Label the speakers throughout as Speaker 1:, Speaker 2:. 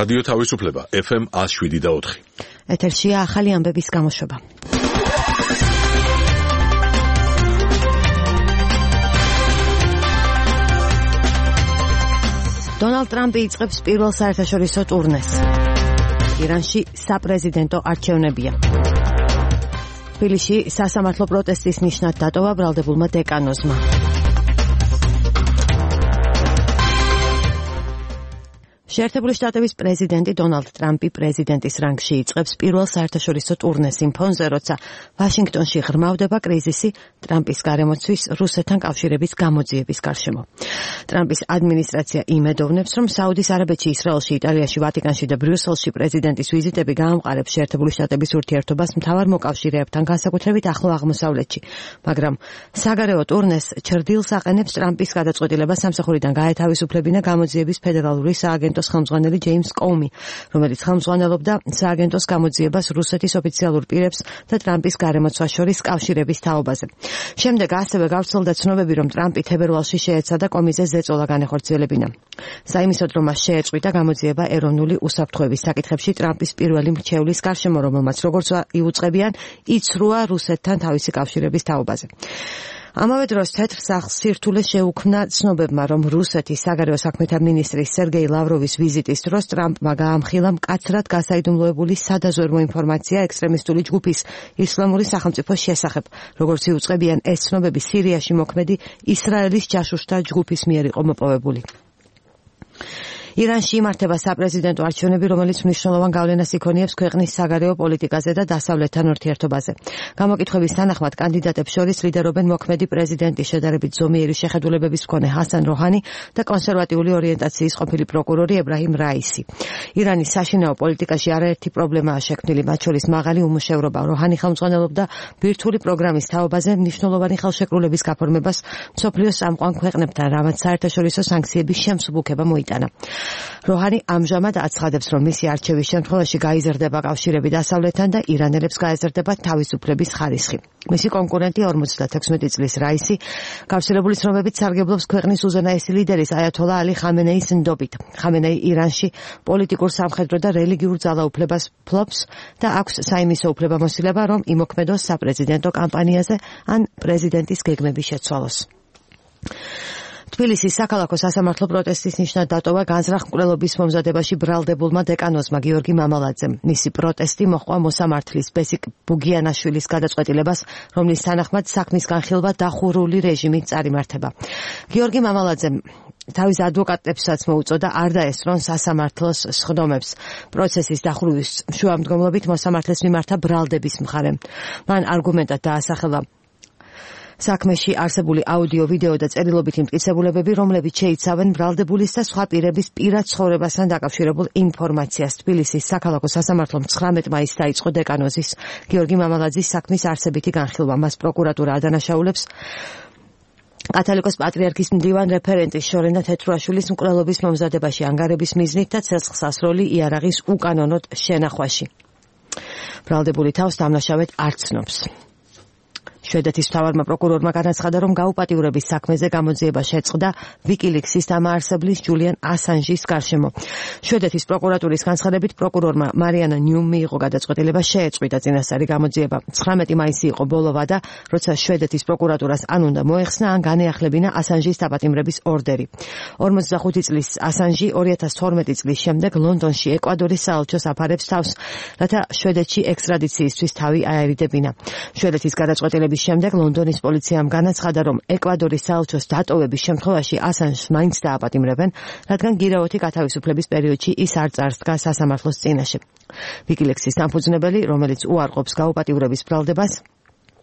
Speaker 1: რადიო თავისუფლება FM 107.4.
Speaker 2: ეთერშია ახალი ამბების გამოშვება. დონალდ ტრამპი იწყებს პირველ საერთაშორისო ტურნეს. ირანში საპრეზიდენტო არჩევნებია. თბილისში სასამართლო პროტესტის ნიშნად დატოვა ბრალდებულმა დეკანოზმა. შეერთებული შტატების პრეზიდენტი დონალდ ტრამპი პრეზიდენტის რანგში იწყებს პირველ საერთაშორისო ტურნეს იმ ფონზე, როცა ვაშინგტონში ღრმავდება კრიზისი ტრამპის გარემოცვის რუსეთთან კავშირების გამოძიების გარშემო. ტრამპის ადმინისტრაცია იმედოვნებს, რომ საუდის არაბეთში, ისრაელში, იტალიაში, ვატიკანში და ბრიუსელში პრეზიდენტის ვიზიტები გაამყარებს შეერთებული შტატების ურთიერთობას მთავარ მოკავშირეებთან, განსაკუთრებით ახლო აღმოსავლეთში. მაგრამ საგარეო ტურნეს ჩრდილს აყენებს ტრამპის გადაწყვეტილება სამსახურიდან გაეთავისუფლებინა გამოძიების ფედერალური სააგენტო ხელმძღვანელი ჯეიმს კომი, რომელიც ხელმძღვანელობდა სააგენტოს გამოძიებას რუსეთის ოფიციალურ პირებს და ტრამპის გარემოცვას შორის კავშირების თაობაზე. შემდეგ ასევე გავრცელდა ცნობები, რომ ტრამპი თებერვალში შეეცადა კომიზე ზეწოლა განეხორციელებინა. საიმისოდ, რომ მას შეეწყვიტა გამოძიება ეროვნული უსაფრთხოების საკითხებში ტრამპის პირველი მრჩევლის გარშემო, რომელმაც როგორც იუწყებიან, იცრუა რუსეთთან თავისი კავშირების თაობაზე. ამავე დროს თეთრ სახლს სირთულე შეუქმნა ცნობებმა, რომ რუსეთის საგარეო საქმეთა მინისტრის სერგეი ლავროვის ვიზიტის დროს ტრამპმა გაამხილა მკაცრად გასაიდუმლოებული სადაზვერვო ინფორმაცია ექსტრემისტული ჯგუფის ისლამური სახელმწიფოს შესახებ. როგორც იუწყებიან, ეს ცნობები სირიაში მოქმედი ისრაელის ჯაშუშთა ჯგუფის მიერ იყო მოპოვებული. ირანში იმართება საპრეზიდენტო არჩევნები, რომელიც მნიშვნელოვან გავლენას იქონიებს ქვეყნის საგარეო პოლიტიკაზე და დასავლეთთან ურთიერთობაზე. გამოკითხვების თანახმად კანდიდატებს შორის ლიდერობენ მოქმედი პრეზიდენტის შედარებით ზომიერი შეხედულებების მქონე ჰასან როჰანი და კონსერვატიული ორიენტაციის ყოფილი პროკურორი ებრაჰიმ რაისი. ირანის საშინაო პოლიტიკაში არაერთი პრობლემაა შექმნილი, მათ შორის მაღალი უმუშევრობა. როჰანი ხელმძღვანელობდა ბირთვული პროგრამის თაობაზე მნიშვნელოვანი ხელშეკრულების გაფორმებას მსოფლიოს წამყვან ქვეყნებთან, რამაც საერთაშორისო სანქციების შემსუბუქება მოიტანა. როჰანი ამჟამად აცხადებს, რომ მისი არჩევის შემთხვევაში გაიზრდება კავშირები დასავლეთთან და ირანელებს გაეზრდება თავისუფლების ხარისხი. მისი კონკურენტი 56 წლის რაისი გავრცელებული ცნობებით სარგებლობს ქვეყნის უზენაესი ლიდერის აიათოლა ალი ხამენეის ნდობით. ხამენეი ირანში პოლიტიკურ, სამხედრო და რელიგიურ ძალაუფლებას ფლობს და აქვს საიმისო უფლებამოსილება, რომ იმოქმედოს საპრეზიდენტო კამპანიაზე ან პრეზიდენტის გეგმების შეცვალოს. თბილისის საქალაქო სასამართლო პროტესტის ნიშნად დატოვა განზრახ-მკვლელობის მომზადებაში ბრალდებულმა დეკანოზმა გიორგი მამალაძემ. მისი პროტესტი მოჰყვა მოსამართლის ბესიკ ბუგიანაშვილის გადაწყვეტილებას, რომლის თანახმად საქმის განხილვა დახურული რეჟიმით წარიმართება. გიორგი მამალაძემ თავის ადვოკატებსაც მოუწოდა არ დაესწრონ სასამართლოს სხდომებს. პროცესის დახურვის შუამდგომლობით მოსამართლეს მიმართა ბრალდების მხარე. მან არგუმენტად დაასახელა საქმეში არსებული აუდიო, ვიდეო და წერილობითი მტკიცებულებები, რომლებიც შეიცავენ ბრალდებულის და სხვა პირების პირად ცხოვრებასთან დაკავშირებულ ინფორმაციას. თბილისის საქალაქო სასამართლომ 19 მაისს დაიწყო დეკანოზის გიორგი მამალაძის საქმის არსებითი განხილვა. მას პროკურატურა ადანაშაულებს კათოლიკოს პატრიარქის მდივან რეფერენტის შორენა თეთრუაშვილის მკვლელობის მომზადებაში ანგარების მიზნით და ცეცხლსასროლი იარაღის უკანონოდ შენახვაში. ბრალდებული თავს დამნაშავედ არ ცნობს. შვედეთის მთავარმა პროკურორმა განაცხადა, რომ გაუპატიურების საქმეზე გამოძიება შეწყდა ვიკილიქსის დამაარსებლის ჯულიან ასანჟის გარშემო. შვედეთის პროკურატურის განცხადებით პროკურორმა მარიანა ნიუმ მიიღო გადაწყვეტილება შეეწყვიტა წინასწარი გამოძიება. 19 მაისი იყო ბოლო ვადა, როცა შვედეთის პროკურატურას ან უნდა მოეხსნა, ან განეახლებინა ასანჟის დაპატიმრების ორდერი. 45 წლის ასანჟი 2012 წლის შემდეგ ლონდონში ეკვადორის საელჩოს აფარებს თავს, რათა შვედეთში ექსტრადიციისთვის თავი აერიდებინა. შვედეთის გადაწყვეტილების შემდეგ ლონდონის პოლიციამ განაცხადა, რომ ეკვადორის საელჩოს დატოვების შემთხვევაში ასანჟს მაინც დააპატიმრებენ, რადგან გირაოთი გათავისუფლების პერიოდში ის არ წარსდგა სასამართლოს წინაშე. ვიკილექსის დამფუძნებელი, რომელიც უარყოფს გაუპატიურების ბრალდებას,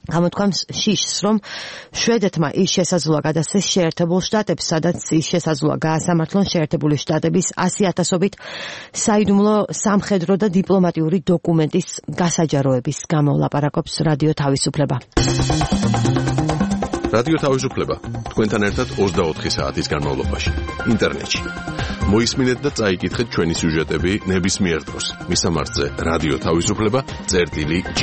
Speaker 2: გამოთქვამს შიშს, რომ შვედეთმა ის შესაძლოა გადასცეს შეერთებულ შტატებს, სადაც ის შესაძლოა გაასამართლონ შეერთებული შტატების 100,000-ობით საიდუმლო სამხედრო და დიპლომატიური დოკუმენტის გასაჯაროების გამო. ლაპარაკობს რადიო თავისუფლება.
Speaker 1: რადიო თავისუფლება თქვენთან ერთად 24 საათის განმავლობაში ინტერნეტში. მოისმინეთ და წაიკითხეთ ჩვენი სიუჟეტები ნებისმიერ დროს. მისამართზე რადიო თავისუფლება წერტილი G.